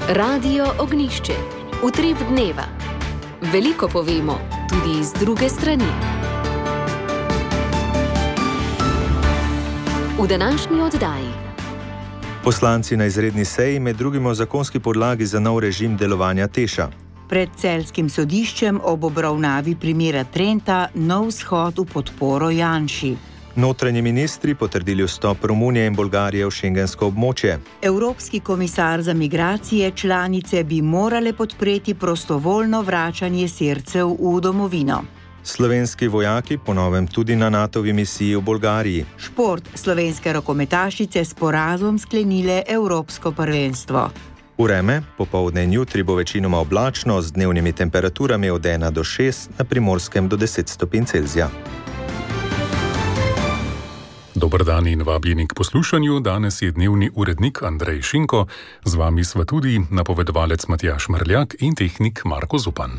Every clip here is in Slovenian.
Radio Ognjišče. Utrip dneva. Veliko povemo, tudi z druge strani. V današnji oddaji. Poslanci na izredni seji med drugim o zakonski podlagi za nov režim delovanja TEŠ-a. Pred celjskim sodiščem ob obravnavi primera Trenta nov shod v podporo Janši. Notranji ministri potrdili vstop Romunije in Bolgarije v šengensko območje. Evropski komisar za migracije članice bi morale podpreti prostovoljno vračanje Sircev v domovino. Slovenski vojaki ponovem tudi na NATO-vi misiji v Bolgariji. Šport. Slovenske rokometašice s porazom sklenile evropsko prvenstvo. Vreme. Popoldne in jutri bo večinoma oblačno z dnevnimi temperaturami od 1 do 6, na Primorskem do 10 stopinj Celzija. Dober dan in vabljeni k poslušanju. Danes je dnevni urednik Andrej Šinko, z vami sva tudi napovedovalec Matjaž Mrljak in tehnik Marko Zupan.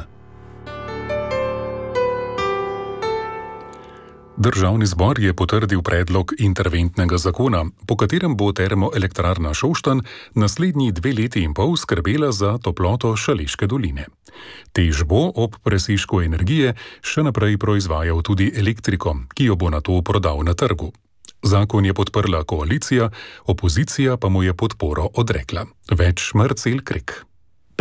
Državni zbor je potrdil predlog interventnega zakona, po katerem bo termoelektrarna Šoštanj naslednji 2 leti in pol skrbela za toploto Šaleške doline. TEŠ bo ob presežku energije še naprej proizvajal tudi elektriko, ki jo bo nato prodal na trgu. Zakon je podprla koalicija, opozicija pa mu je podporo odrekla. Več Marcel Krek.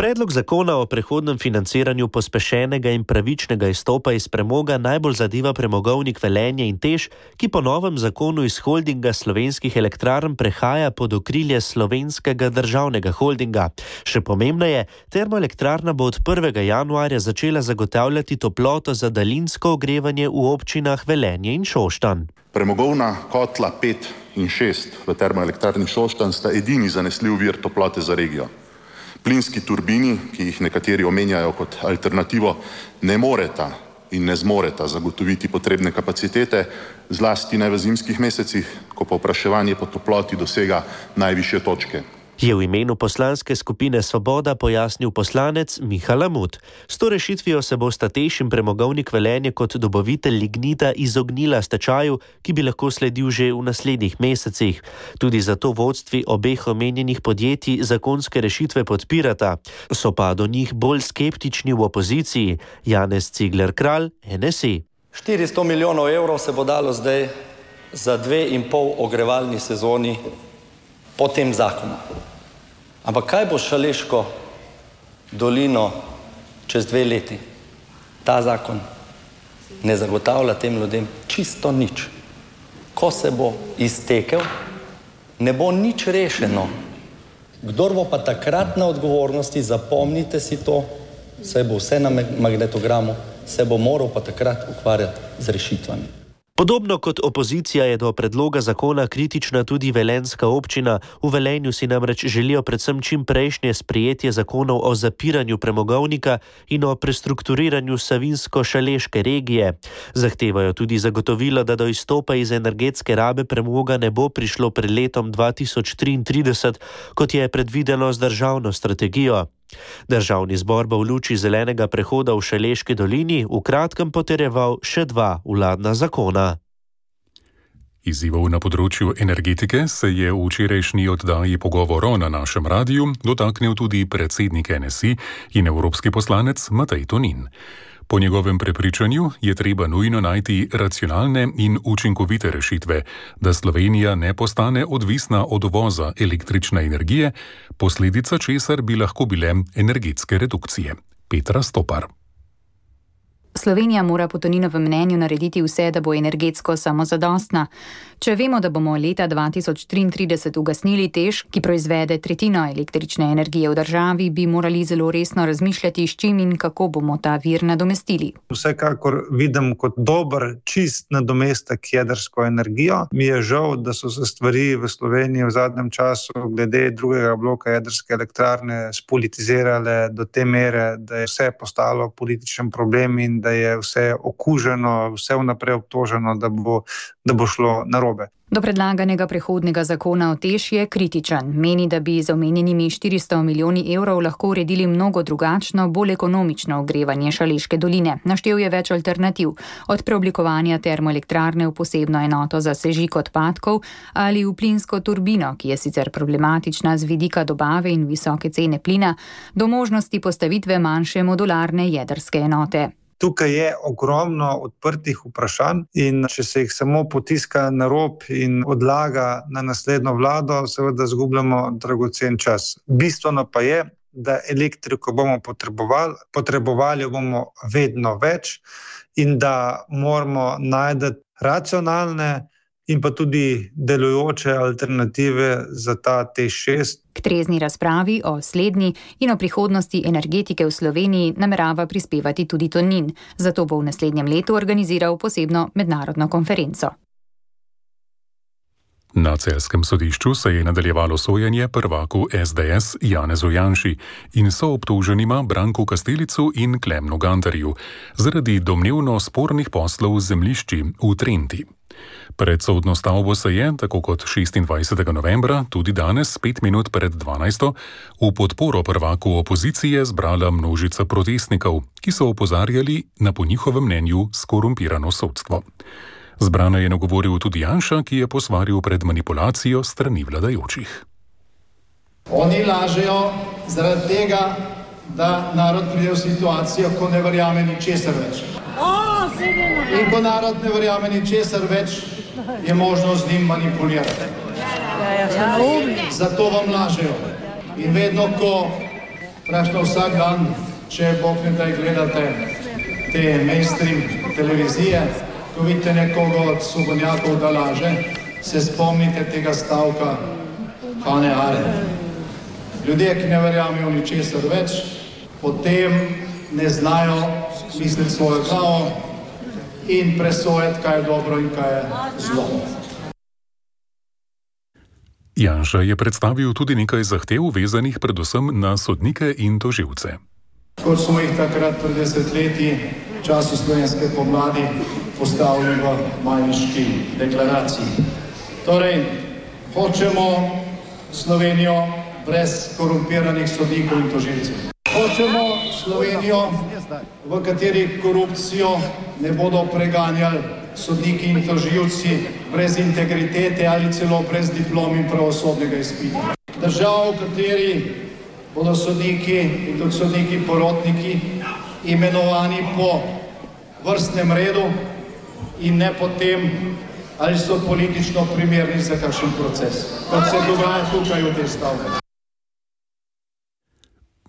Predlog zakona o prehodnem financiranju pospešenega in pravičnega izstopa iz premoga najbolj zadeva premogovnik Velenje in TEŠ, ki po novem zakonu iz holdinga slovenskih elektrarn prehaja pod okrilje Slovenskega državnega holdinga. Še pomembneje, termoelektrarna bo od 1. januarja začela zagotavljati toploto za daljinsko ogrevanje v občinah Velenje in Šoštanj. Premogovna kotla 5 in 6 v termoelektrarni Šoštanj sta edini zanesljiv vir toplote za regijo. Plinski turbini, ki jih nekateri omenjajo kot alternativo, ne moreta in ne zmoreta zagotoviti potrebne kapacitete, zlasti ne v zimskih mesecih, ko povpraševanje po toploti dosega najvišje točke. Je v imenu poslanske skupine Svoboda pojasnil poslanec Miha Lamut. S to rešitvijo se bosta TEŠ in premogovnik Velenje kot dobavitelj lignita izognila stečaju, ki bi lahko sledil že v naslednjih mesecih. Tudi zato vodstvi obeh omenjenih podjetij zakonske rešitve podpirata. So pa do njih bolj skeptični v opoziciji. Janez Cigler Kralj, NSI. 400 milijonov evrov se bo dalo zdaj za 2,5 ogrevalni sezoni po tem zakonu. Ampak kaj bo Šaleško dolino čez 2 leti? Ta zakon ne zagotavlja tem ljudem čisto nič. Ko se bo iztekel, ne bo nič rešeno. Kdor bo pa takrat na odgovornosti, zapomnite si to, saj bo vse na magnetogramu, se bo moral pa takrat ukvarjati z rešitvami. Podobno kot opozicija je do predloga zakona kritična tudi velenjska občina. V Velenju si namreč želijo predvsem čim prejšnje sprejetje zakonov o zapiranju premogovnika in o prestrukturiranju savinsko-šaleške regije. Zahtevajo tudi zagotovilo, da do izstopa iz energetske rabe premoga ne bo prišlo pred letom 2033, kot je predvideno z državno strategijo. Državni zbor bo v luči zelenega prehoda v Šaleški dolini v kratkem potrjeval še 2 vladna zakona. Izzivov na področju energetike se je v včerajšnji oddaji Pogovorov na našem radiju dotaknil tudi predsednik NSI in evropski poslanec Matej Tonin. Po njegovem prepričanju je treba nujno najti racionalne in učinkovite rešitve, da Slovenija ne postane odvisna od uvoza električne energije, posledica česar bi lahko bile energetske redukcije. Petra Stopar. Slovenija mora po Toninovem mnenju narediti vse, da bo energetsko samozadostna. Če vemo, da bomo leta 2033 ugasnili TEŠ, ki proizvede tretjino električne energije v državi, bi morali zelo resno razmišljati, s čim in kako bomo ta vir nadomestili. Vsekakor vidim kot dober, čist nadomestek jedrsko energijo. Mi je žal, da so se stvari v Sloveniji v zadnjem času glede drugega bloka jedrske elektrarne spolitizirale do te mere, da je vse postalo političen problem in da da je vse okuženo, vse vnaprej obtoženo, da bo šlo narobe. Do predlaganega prehodnega zakona o TEŠ je kritičen. Meni, da bi z omenjenimi 400 milijoni evrov lahko uredili mnogo drugačno, bolj ekonomično ogrevanje Šaleške doline. Naštel je več alternativ, od preoblikovanja termoelektrarne v posebno enoto za sežig odpadkov ali v plinsko turbino, ki je sicer problematična z vidika dobave in visoke cene plina, do možnosti postavitve manjše modularne jedrske enote. Tukaj je ogromno odprtih vprašanj in če se jih samo potiska na rob in odlaga na naslednjo vlado, seveda zgubljamo dragocen čas. Bistveno pa je, da elektriko bomo potrebovali bomo vedno več in da moramo najti racionalne in pa tudi delujoče alternative za ta TEŠ6. K trezni razpravi o slednji in o prihodnosti energetike v Sloveniji namerava prispevati tudi Tonin. Zato bo v naslednjem letu organiziral posebno mednarodno konferenco. Na celjskem sodišču se je nadaljevalo sojenje prvaku SDS Janezu Janši in soobtoženima Branku Kastelicu in Klemnu Gantarju zaradi domnevno spornih poslov z zemljišči v Trenti. Pred sodno stavbo se je, tako kot 26. novembra, tudi danes, 5 minut pred 12. v podporo prvaku opozicije zbrala množica protestnikov, ki so opozarjali na po njihovem mnenju skorumpirano sodstvo. Zbrana je nagovoril tudi Janša, ki je posvaril pred manipulacijo strani vladajočih. Oni lažejo zaradi tega, da narod pride v situacijo, ko ne verjame ničesar več. In ko narod ne verjame ničesar več, je možno z njim manipulirati. Zato vam lažejo. In vedno, ko praktično vsak dan, če Bog ne daj gledate te mainstream televizije, ko vidite nekoga od svobodnjakov, da laže, se spomnite tega stavka Hane Arendt. Ljudje, ki ne verjamejo ničesar več, potem ne znajo misliti svojo glavo in presojati, kaj je dobro in kaj je zlo. Janša je predstavil tudi nekaj zahtev vezanih predvsem na sodnike in tožilce. Kot smo jih takrat pred desetletji v času slovenske pomladi postavili v Majniški deklaraciji. Torej, hočemo Slovenijo brez korumpiranih sodnikov in tožilcev. Hočemo Slovenijo, v kateri korupcijo ne bodo preganjali sodniki in tožilci brez integritete ali celo brez diplom in pravosodnega izpita. Država, v kateri bodo sodniki in tudi sodniki porotniki imenovani po vrstnem redu in ne potem, ali so politično primerni za kakšen proces, kot se dogaja tukaj v tej stavbi.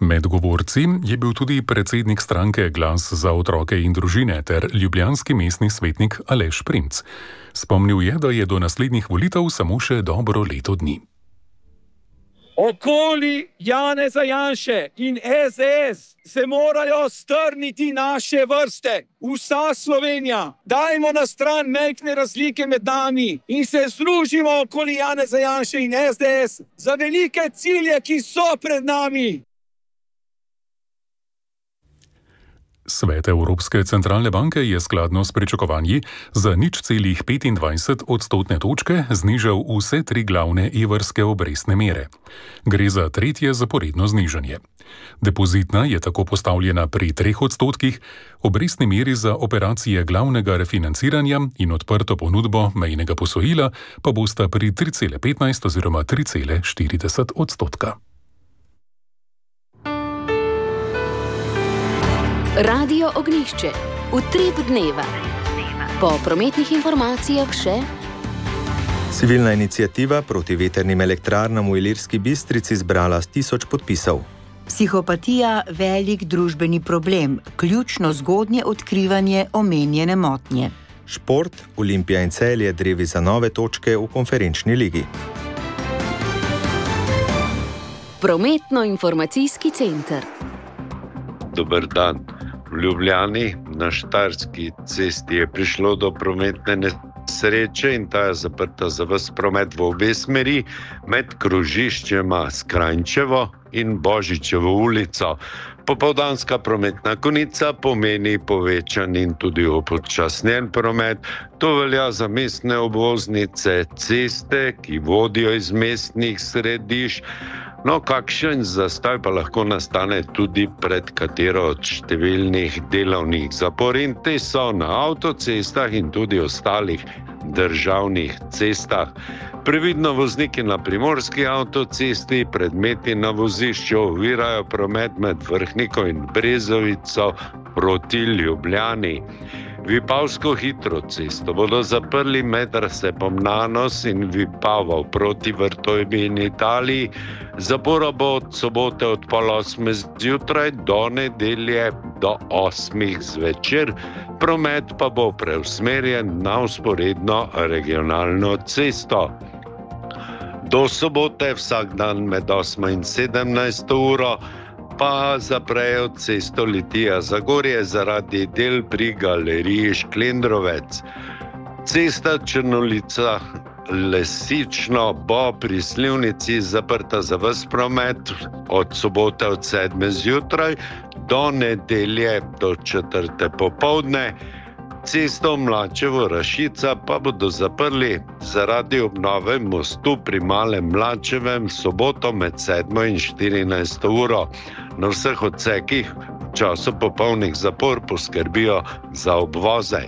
Med govorci je bil tudi predsednik stranke Glas za otroke in družine ter ljubljanski mestni svetnik Aleš Primc. Spomnil je, da je do naslednjih volitev samo še dobro leto dni. Okoli Janeza Janše in SDS se morajo strniti naše vrste. Vsa Slovenija. Dajmo na stran majhne razlike med nami in se združimo okoli Janeza Janše in SDS za velike cilje, ki so pred nami. Svet Evropske centralne banke je skladno s pričakovanji za 0,25 odstotne točke znižal vse 3 glavne evrske obrestne mere. Gre za tretje zaporedno znižanje. Depozitna je tako postavljena pri 3 odstotkih, obrestni meri za operacije glavnega refinanciranja in odprto ponudbo mejnega posojila pa bosta pri 3,15 oziroma 3,40 odstotka. Radio Ognjišče. Utrip dneva. Po prometnih informacijah še... Civilna iniciativa proti vetrnim elektrarnam v Ilirski Bistrici zbrala 1000 podpisov. Psihopatija – velik družbeni problem, ključno zgodnje odkrivanje omenjene motnje. Šport, Olimpija in Celje drevi za nove točke v konferenčni ligi. Prometno-informacijski center. Dober dan. V Ljubljani na Štajerski cesti je prišlo do prometne nesreče in ta je zaprta za ves promet v obe smeri med krožiščema Skranjčevo in Božičevo ulico. Popoldanska prometna konica pomeni povečan in tudi upočasnjen promet. To velja za mestne obvoznice, ceste, ki vodijo iz mestnih središč. No, kakšen zastoj pa lahko nastane tudi pred katero od številnih delovnih zapor, in te so na avtocestah in tudi ostalih državnih cestah. Previdno vozniki na primorski avtocesti, predmeti na vozišču ovirajo promet med Vrhniko in Brezovico proti Ljubljani. Vipavsko hitro cesto bodo zaprli med razcepom Nanos in Vipavo proti Vrtojbi in Italiji. Zapora bo od sobote od 7:30 zjutraj do nedelje do 8 zvečer. Promet pa bo preusmerjen na vzporedno regionalno cesto. Do sobote vsak dan med 8 in 17 uro pa zaprejo cesto Litija-Zagorje zaradi del pri galeriji Šklendrovec. Cesta Črnolica-Lesično bo pri Slivnici zaprta za ves promet od sobote od 7 zjutraj do nedelje do 4 popoldne. Cesto Mlačevo-Rašica pa bodo zaprli zaradi obnove mostu pri Malem Mlačevem soboto med 7 in 14 uro. Na vseh odsekih v času popolnih zapor poskrbijo za obvoze.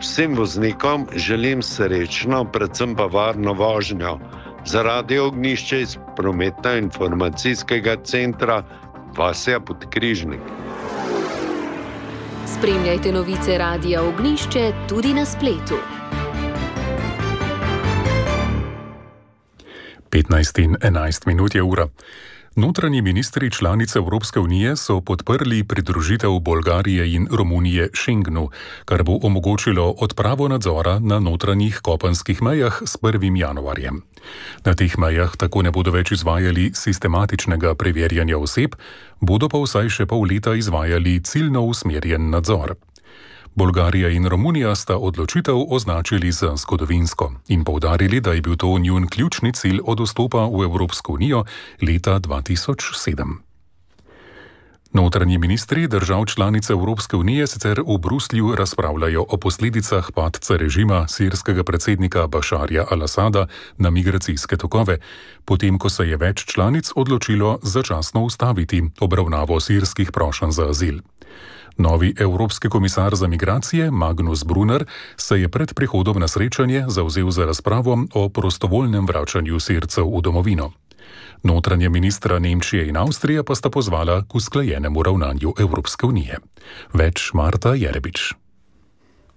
Vsem voznikom želim srečno, predvsem pa varno vožnjo. Zaradi Ognjišče iz prometno-informacijskega centra Vasja Podkrižnik. Spremljajte novice Radia Ognjišče tudi na spletu. 15:11 je ura. Notranji ministri članice Evropske unije so podprli pridružitev Bolgarije in Romunije Schengenu, kar bo omogočilo odpravo nadzora na notranjih kopenskih mejah s 1. januarjem. Na teh mejah tako ne bodo več izvajali sistematičnega preverjanja oseb, bodo pa vsaj še pol leta izvajali ciljno usmerjen nadzor. Bolgarija in Romunija sta odločitev označili za zgodovinsko in poudarili, da je bil to njun ključni cilj od vstopa v Evropsko unijo leta 2007. Notranji ministri držav članic Evropske unije sicer v Bruslju razpravljajo o posledicah padca režima sirskega predsednika Bašarja al-Asada na migracijske tokove, potem ko se je več članic odločilo začasno ustaviti obravnavo sirskih prošenj za azil. Novi evropski komisar za migracije Magnus Brunner se je pred prihodom na srečanje zavzel za razpravo o prostovoljnem vračanju Sircev v domovino. Notranje ministra Nemčije in Avstrije pa sta pozvala k usklajenemu ravnanju Evropske unije. Več Marta Jerebič.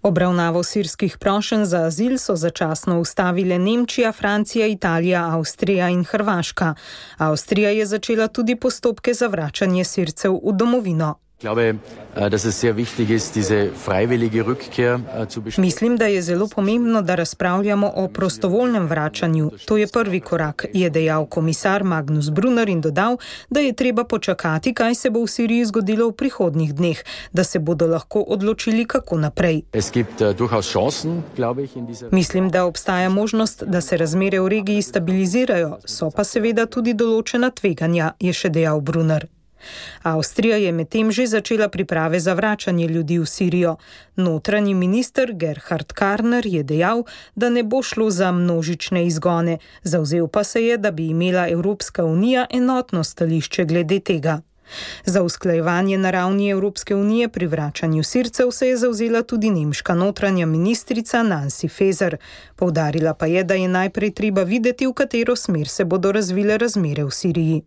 Obravnavo sirskih prošenj za azil so začasno ustavile Nemčija, Francija, Italija, Avstrija in Hrvaška. Avstrija je začela tudi postopke za vračanje Sircev v domovino. Mislim, da je zelo pomembno, da razpravljamo o prostovoljnem vračanju. To je prvi korak, je dejal komisar Magnus Brunner in dodal, da je treba počakati, kaj se bo v Siriji zgodilo v prihodnjih dneh, da se bodo lahko odločili, kako naprej. Mislim, da obstaja možnost, da se razmere v regiji stabilizirajo, so pa seveda tudi določena tveganja, je še dejal Brunner. Avstrija je medtem že začela priprave za vračanje ljudi v Sirijo. Notranji minister Gerhard Karner je dejal, da ne bo šlo za množične izgone. Zavzel pa se je, da bi imela Evropska unija enotno stališče glede tega. Za usklajevanje na ravni Evropske unije pri vračanju Sircev se je zavzela tudi nemška notranja ministrica Nancy Faeser. Poudarila pa je, da je najprej treba videti, v katero smer se bodo razvile razmere v Siriji.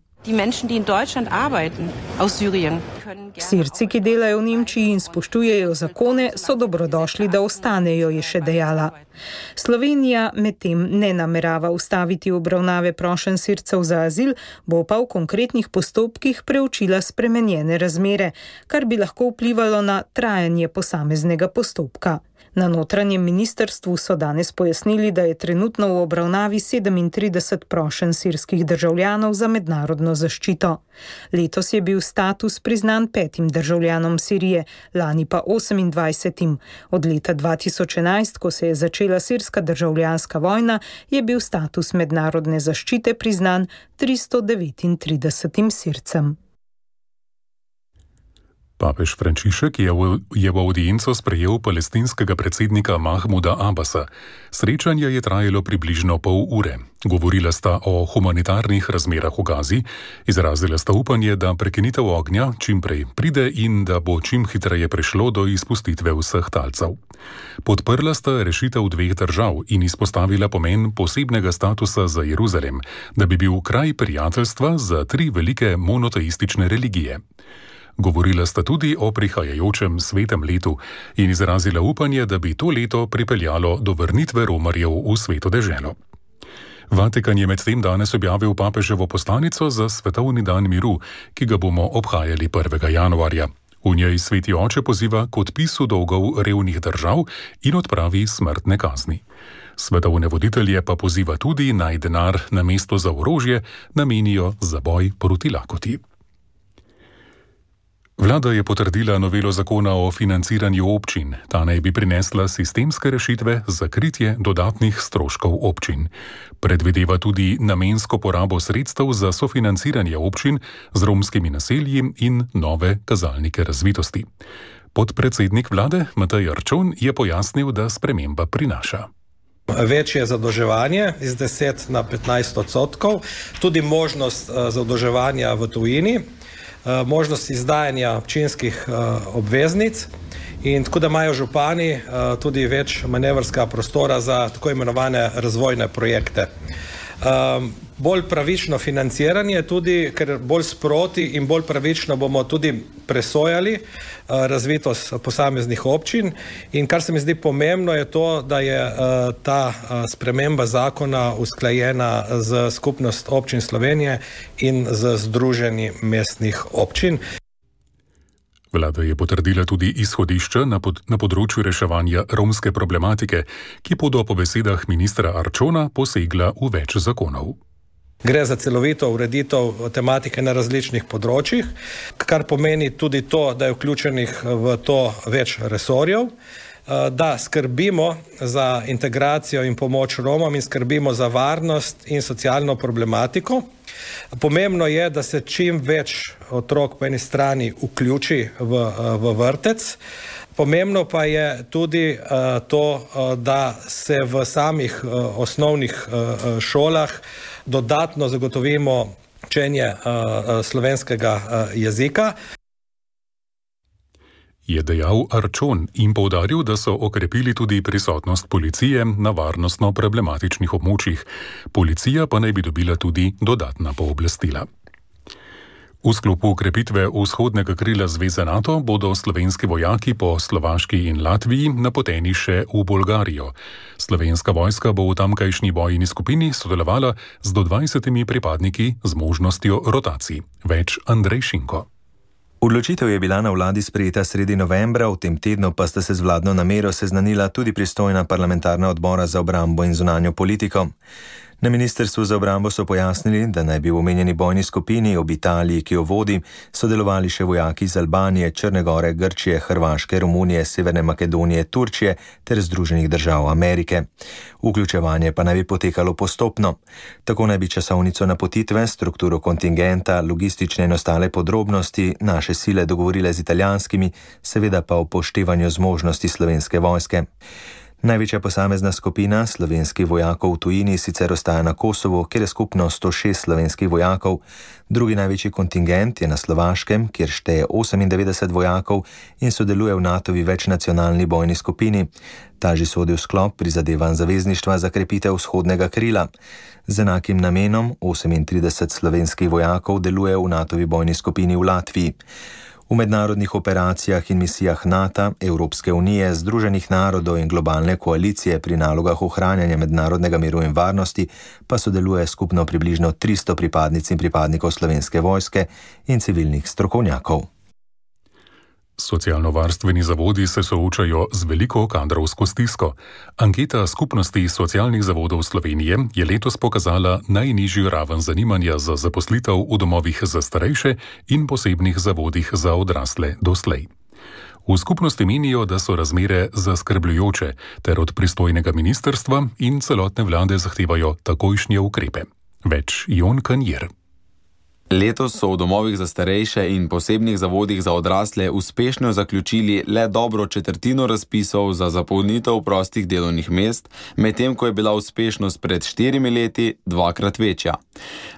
Sirci, ki delajo v Nemčiji in spoštujejo zakone, so dobrodošli, da ostanejo, je še dejala. Slovenija medtem ne namerava ustaviti obravnave prošenj Sircev za azil, bo pa v konkretnih postopkih preučila spremenjene razmere, kar bi lahko vplivalo na trajanje posameznega postopka. Na notranjem ministrstvu so danes pojasnili, da je trenutno v obravnavi 37 prošenj sirskih državljanov za mednarodno zaščito. Letos je bil status priznan 5 državljanom Sirije, lani pa 28. Od leta 2011, ko se je začela sirska državljanska vojna, je bil status mednarodne zaščite priznan 339 Sircem. Papež Frančišek je v audienco sprejel palestinskega predsednika Mahmuda Abbasa. Srečanje je trajalo približno pol ure. Govorila sta o humanitarnih razmerah v Gazi, izrazila sta upanje, da prekinitev ognja čim prej pride in da bo čim hitreje prišlo do izpustitve vseh talcev. Podprla sta rešitev 2 držav in izpostavila pomen posebnega statusa za Jeruzalem, da bi bil kraj prijateljstva za 3 velike monoteistične religije. Govorila sta tudi o prihajajočem svetem letu in izrazila upanje, da bi to leto pripeljalo do vrnitve romarjev v sveto deželo. Vatikan je medtem danes objavil papeževo poslanico za svetovni dan miru, ki ga bomo obhajali 1. januarja. V njej sveti oče poziva k odpisu dolgov revnih držav in odpravi smrtne kazni. Svetovne voditelje pa poziva tudi, naj denar namesto za orožje namenijo za boj proti lakoti. Vlada je potrdila novelo zakona o financiranju občin. Ta naj bi prinesla sistemske rešitve za kritje dodatnih stroškov občin. Predvideva tudi namensko porabo sredstev za sofinanciranje občin z romskimi naselji in nove kazalnike razvitosti. Podpredsednik vlade Matej Arčon je pojasnil, da sprememba prinaša večje zadolževanje iz 10 na 15%, tudi možnost zadolževanja v tujini, možnost izdajanja občinskih obveznic in tako da imajo župani tudi več manevrskega prostora za tako imenovane razvojne projekte. Bolj pravično financiranje tudi, ker bolj sproti in bolj pravično bomo tudi presojali razvitost posameznih občin in kar se mi zdi pomembno je to, da je ta sprememba zakona usklajena z Skupnost občin Slovenije in z Združenjem mestnih občin. Vlada je potrdila tudi izhodišča na področju reševanja romske problematike, ki bodo po besedah ministra Arčona posegla v več zakonov. Gre za celovito ureditev tematike na različnih področjih, kar pomeni tudi to, da je vključenih v to več resorjev, da skrbimo za integracijo in pomoč Romom in skrbimo za varnost in socialno problematiko. Pomembno je, da se čim več otrok po eni strani vključi v vrtec. Pomembno pa je tudi to, da se v samih osnovnih šolah dodatno zagotovimo učenje slovenskega jezika. Je dejal Arčon in poudaril, da so okrepili tudi prisotnost policije na varnostno problematičnih območjih. Policija pa naj bi dobila tudi dodatna pooblastila. V sklopu ukrepitve vzhodnega krila Zveze NATO bodo slovenski vojaki po Slovaški in Latviji napoteni še v Bolgarijo. Slovenska vojska bo v tamkajšnji bojni skupini sodelovala z do 20 pripadniki z možnostjo rotacij. Več Andrej Šinko. Odločitev je bila na vladi sprejeta sredi novembra, v tem tednu pa sta se z vladno namero seznanila tudi pristojna parlamentarna odbora za obrambo in zunanjo politiko. Na Ministrstvu za obrambo so pojasnili, da naj bi v omenjeni bojni skupini ob Italiji, ki jo vodi, sodelovali še vojaki iz Albanije, Črne Gore, Grčije, Hrvaške, Romunije, Severne Makedonije, Turčije ter Združenih držav Amerike. Vključevanje pa naj bi potekalo postopno. Tako naj bi časovnico napotitve, strukturo kontingenta, logistične in ostale podrobnosti naše sile dogovorile z italijanskimi, seveda pa upoštevanju zmožnosti slovenske vojske. Največja posamezna skupina slovenskih vojakov v tujini sicer ostaja na Kosovu, kjer je skupno 106 slovenskih vojakov. Drugi največji kontingent je na Slovaškem, kjer šteje 98 vojakov in sodeluje v NATO-vi večnacionalni bojni skupini. Ta že sodi v sklop prizadevanj zavezništva za krepitev vzhodnega krila. Z enakim namenom 38 slovenskih vojakov deluje v NATO-vi bojni skupini v Latviji. V mednarodnih operacijah in misijah NATO, Evropske unije, Združenih narodov in globalne koalicije pri nalogah ohranjanja mednarodnega miru in varnosti pa sodeluje skupno približno 300 pripadnic in pripadnikov slovenske vojske in civilnih strokovnjakov. Socialno-varstveni zavodi se soočajo z veliko kadrovsko stisko. Anketa Skupnosti socialnih zavodov Slovenije je letos pokazala najnižjo raven zanimanja za zaposlitev v domovih za starejše in posebnih zavodih za odrasle doslej. V skupnosti menijo, da so razmere zaskrbljujoče, ter od pristojnega ministrstva in celotne vlade zahtevajo takojšnje ukrepe. Več Jon Kanjer. Letos so v domovih za starejše in posebnih zavodih za odrasle uspešno zaključili le dobro četrtino razpisov za zapolnitev prostih delovnih mest, medtem ko je bila uspešnost pred 4 leti dvakrat večja.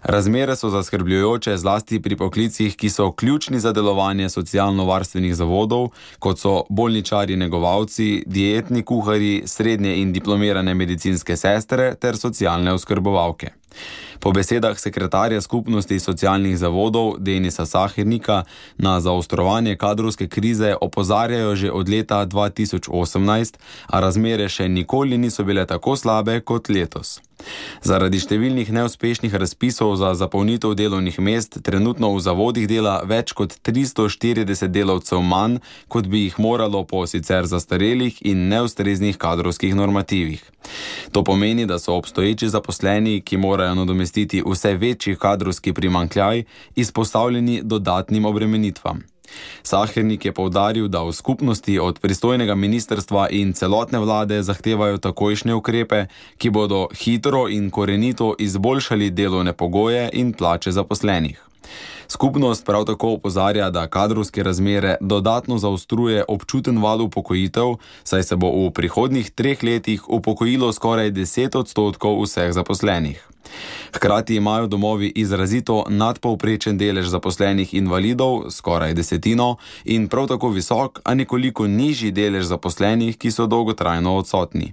Razmere so zaskrbljujoče zlasti pri poklicih, ki so ključni za delovanje socialno-varstvenih zavodov, kot so bolničarji negovalci, dietni kuharji, srednje in diplomirane medicinske sestre ter socialne oskrbovalke. Po besedah sekretarja Skupnosti socialnih zavodov Denisa Sahirnika na zaostrovanje kadrovske krize opozarjajo že od leta 2018, a razmere še nikoli niso bile tako slabe kot letos. Zaradi številnih neuspešnih razpisov za zapolnitev delovnih mest trenutno v zavodih dela več kot 340 delavcev manj, kot bi jih moralo po sicer zastarelih in neustreznih kadrovskih normativih. To pomeni, da so obstoječi zaposleni, ki morajo nadomestiti vse večji kadrovski primanjkljaj, izpostavljeni dodatnim obremenitvam. Sahirnik je poudaril, da v skupnosti od pristojnega ministrstva in celotne vlade zahtevajo takojšnje ukrepe, ki bodo hitro in korenito izboljšali delovne pogoje in plače zaposlenih. Skupnost prav tako opozarja, da kadrovske razmere dodatno zaostruje občuten val upokojitev, saj se bo v prihodnjih 3 letih upokojilo skoraj 10% vseh zaposlenih. Hkrati imajo domovi izrazito nadpovprečen delež zaposlenih invalidov, skoraj 10%, in prav tako visok, a nekoliko nižji delež zaposlenih, ki so dolgotrajno odsotni.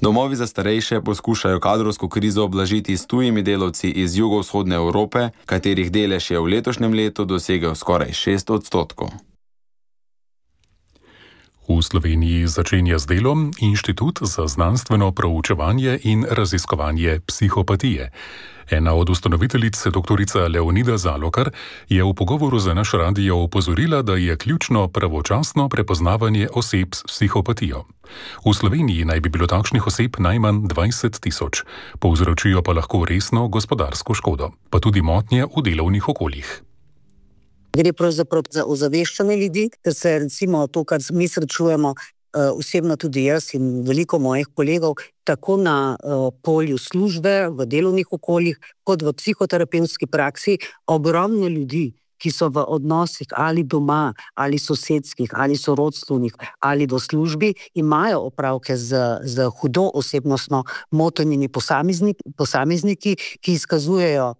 Domovi za starejše poskušajo kadrovsko krizo oblažiti s tujimi delavci iz jugovzhodne Evrope, katerih delež je v letošnjem letu dosegel skoraj 6%. V Sloveniji začenja z delom Inštitut za znanstveno proučevanje in raziskovanje psihopatije. Ena od ustanoviteljic, doktorica Leonida Zalokar, je v pogovoru za naš radio opozorila, da je ključno pravočasno prepoznavanje oseb s psihopatijo. V Sloveniji naj bi bilo takšnih oseb najmanj 20 000, povzročijo pa lahko resno gospodarsko škodo, pa tudi motnje v delovnih okoljih. Gre pravzaprav za ozaveščanje ljudi, ker se recimo to, kar mi srečujemo, osebno tudi jaz in veliko mojih kolegov, tako na polju službe, v delovnih okoljih, kot v psihoterapevtski praksi, ogromno ljudi, ki so v odnosih ali doma, ali sosedskih, ali sorodstvenih, ali do službi, imajo opravke z hudo osebnostno motenimi posamezniki, ki izkazujejo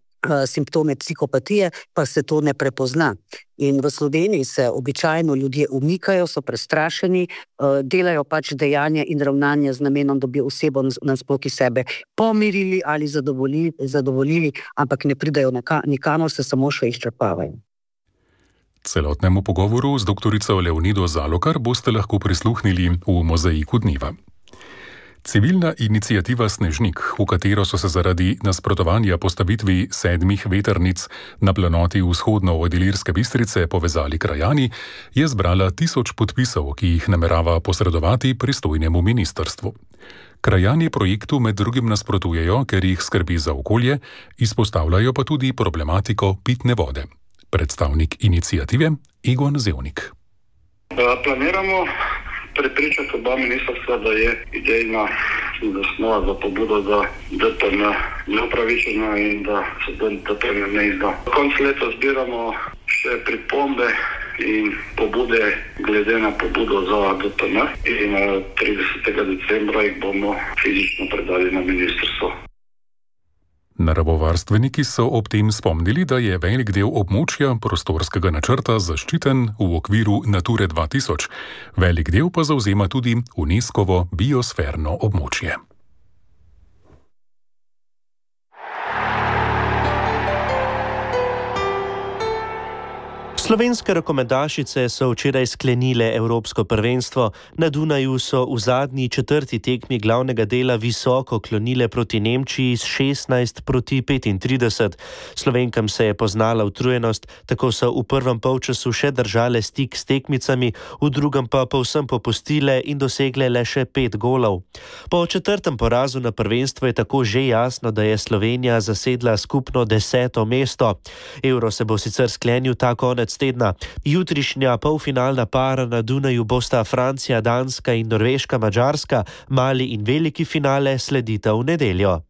simptome psihopatije, pa se to ne prepozna. In v Sloveniji se običajno ljudje umikajo, so prestrašeni, delajo pač dejanja in ravnanja z namenom, da bi osebo nasploh iz sebe pomirili ali zadovoljili, ampak ne pridajo nikamor, se samo še izčrpavajo. Celotnemu pogovoru z doktorico Leonido Zalokar boste lahko prisluhnili v Mozaiku dneva. Civilna iniciativa Snežnik, v katero so se zaradi nasprotovanja postavitvi 7 vetrnic na planoti vzhodno od Ilirske Bistrice povezali krajani, je zbrala 1000 podpisov, ki jih namerava posredovati pristojnemu ministrstvu. Krajani projektu med drugim nasprotujejo, ker jih skrbi za okolje, izpostavljajo pa tudi problematiko pitne vode. Predstavnik iniciative Egon Zevnik. Planiramo prepričati oba ministrstva, da je idejna zasnova za pobudo za DPN neupravičena in da se DPN ne izda. Konec leta zbiramo še pripombe in pobude glede na pobudo za DPN in 30. decembra jih bomo fizično predali na ministrstvo. Naravovarstveniki so ob tem spomnili, da je velik del območja prostorskega načrta zaščiten v okviru Nature 2000, velik del pa zavzema tudi UNESCO-vo biosferno območje. Slovenske rokometašice so včeraj sklenile evropsko prvenstvo. Na Dunaju so v zadnji četrti tekmi glavnega dela visoko klonile proti Nemčiji s 16-35. Slovenkam se je poznala utrujenost, tako so v prvem polčasu še držale stik s tekmicami, v drugem pa povsem popustile in dosegle le še 5 golov. Po četrtem porazu na prvenstvu je tako že jasno, da je Slovenija zasedla skupno 10. mesto. Euro se bo sicer sklenil ta konec tedna. Jutrišnja polfinalna para na Dunaju bosta Francija, Danska in Norveška, Madžarska, mali in veliki finale sledita v nedeljo.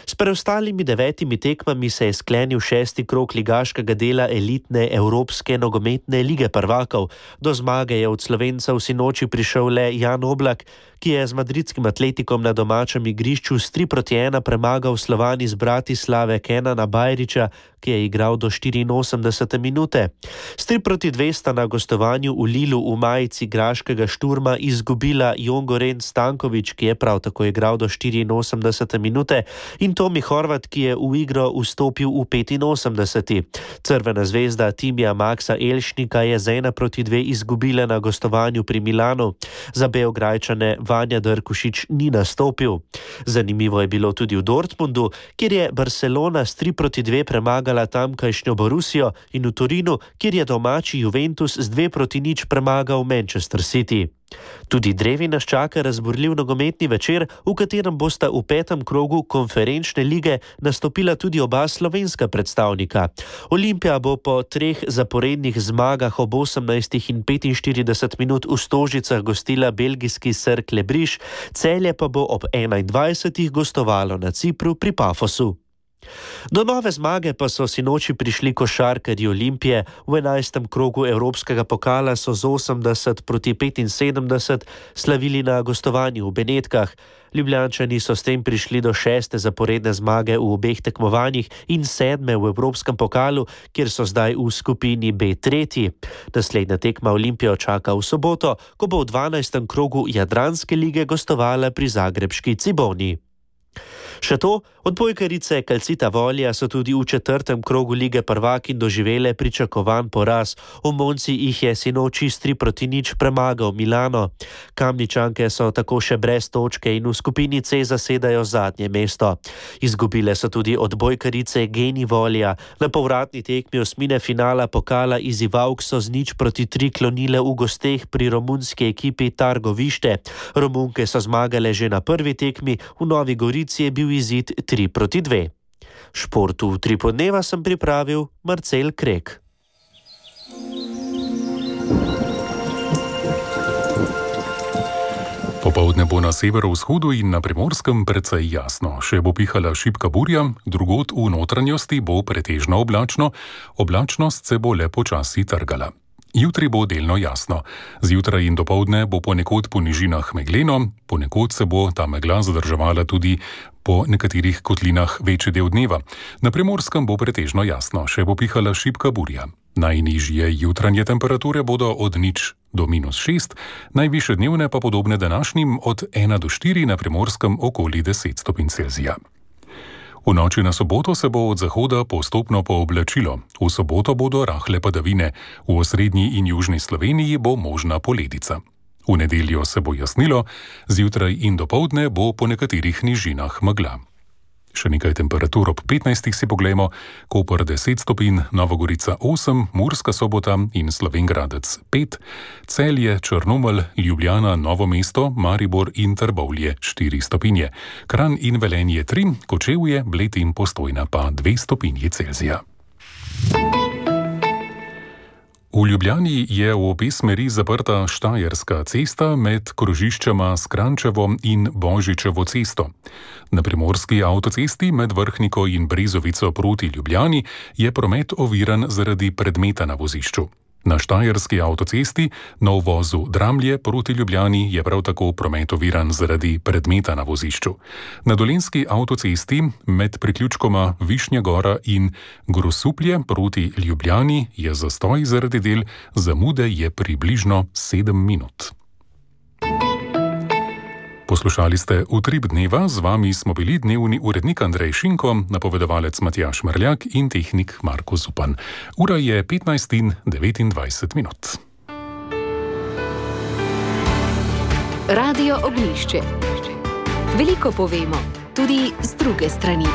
S preostalimi 9 tekmami se je sklenil 6. krog ligaškega dela elitne Evropske nogometne lige prvakov. Do zmage je od Slovencev sinoči prišel le Jan Oblak, ki je z madridskim Atletikom na domačem igrišču s 3-1 premagal Slovan iz Bratislave Kenana Bajrića, ki je igral do 84. minute. S 3-2 sta na gostovanju v Lilu v majici graškega Šturma izgubila Jongoren Stanković, ki je prav tako igral do 84. minute, in Tomi Horvat, ki je v igro vstopil v 85. Crvena zvezda Timija Maksa Elšnika je z 1-2 izgubila na gostovanju pri Milanu. Za Beograjčane Vanja Drkušič ni nastopil. Zanimivo je bilo tudi v Dortmundu, kjer je Barcelona s 3-2 premagala tamkajšnjo Borussijo, in v Torinu, kjer je domači Juventus z 2-0 premagal Manchester City. Tudi drevi nas čaka razburljiv nogometni večer, v katerem bosta v 5. krogu konferenčne lige nastopila tudi oba slovenska predstavnika. Olimpija bo po 3 zaporednih zmagah ob 18 in 45 minut v Stožicah gostila belgijski Cercle Briš, Celje pa bo ob 21 gostovalo na Cipru pri Pafosu. Do nove zmage pa so sinoči prišli košarkarji Olimpije. V 11. krogu Evropskega pokala so z 80-75 slavili na gostovanju v Benetkah. Ljubljančani so s tem prišli do 6. zaporedne zmage v obeh tekmovanjih in 7. v Evropskem pokalu, kjer so zdaj v skupini B tretji. Naslednja tekma Olimpijo čaka v soboto, ko bo v 12. krogu Jadranske lige gostovala pri zagrebški Ciboni. Še to, odbojkarice Calcita Volja so tudi v 4. krogu lige prvakinj doživele pričakovan poraz. V Monci jih je sinoči s 3-0 premagal Milano. Kamničanke so tako še brez točke in v skupini C zasedajo zadnje mesto. Izgubile so tudi odbojkarice Geni Volja. Na povratni tekmi osmine finala pokala iz Ivalk so z 0-3 klonile v gosteh pri romunski ekipi Targovište. Romunke so zmagale že na prvi tekmi, v Novi Gorici je bil izid 3-2. Športu v Tripodneva sem pripravil Marcel Krek. Popoldne bo na severovzhodu in na Primorskem precej jasno. Še bo pihala šibka burja, drugod v notranjosti bo pretežno oblačno, oblačnost se bo le počasi trgala. Jutri bo delno jasno. Zjutraj in dopoldne bo ponekod po nižinah megleno, ponekod se bo ta megla zadrževala tudi po nekaterih kotlinah večji del dneva. Na Primorskem bo pretežno jasno, še bo pihala šibka burja. Najnižje jutranje temperature bodo od 0 do -6, najvišje dnevne pa podobne današnjim od 1 do 4, na Primorskem okoli 10 stopinj Celzija. V noči na soboto se bo od zahoda postopno pooblačilo. V soboto bodo rahle padavine. V osrednji in južni Sloveniji bo možna poledica. V nedeljo se bo jasnilo, zjutraj in dopoldne bo po nekaterih nižinah megla. Še nekaj temperatur ob 15 si poglejmo. Koper 10 stopinj, Nova Gorica 8, Murska Sobota in Slovenjgradec 5, Celje, Črnomelj, Ljubljana, Novo mesto, Maribor in Trbovlje 4 stopinje, Kranj in Velenje 3, Kočevje, Bled in Postojna pa 2 stopinji Celzija. V Ljubljani je v obe smeri zaprta Štajerska cesta med krožiščema Skrančevo in Božičevo cesto. Na Primorski avtocesti med Vrhniko in Brezovico proti Ljubljani je promet oviran zaradi predmeta na vozišču. Na Štajerski avtocesti na uvozu Dramlje proti Ljubljani je prav tako promet oviran zaradi predmeta na vozišču. Na Dolenjski avtocesti med priključkoma Višnja Gora in Grosuplje proti Ljubljani je zastoj zaradi del, zamude je približno 7 minut. Poslušali ste Utrip dneva, z vami smo bili dnevni urednik Andrej Šinko, napovedovalec Matjaž Mrljak in tehnik Marko Zupan. Ura je 15:29. Radio Ognjišče. Veliko povemo, tudi z druge strani.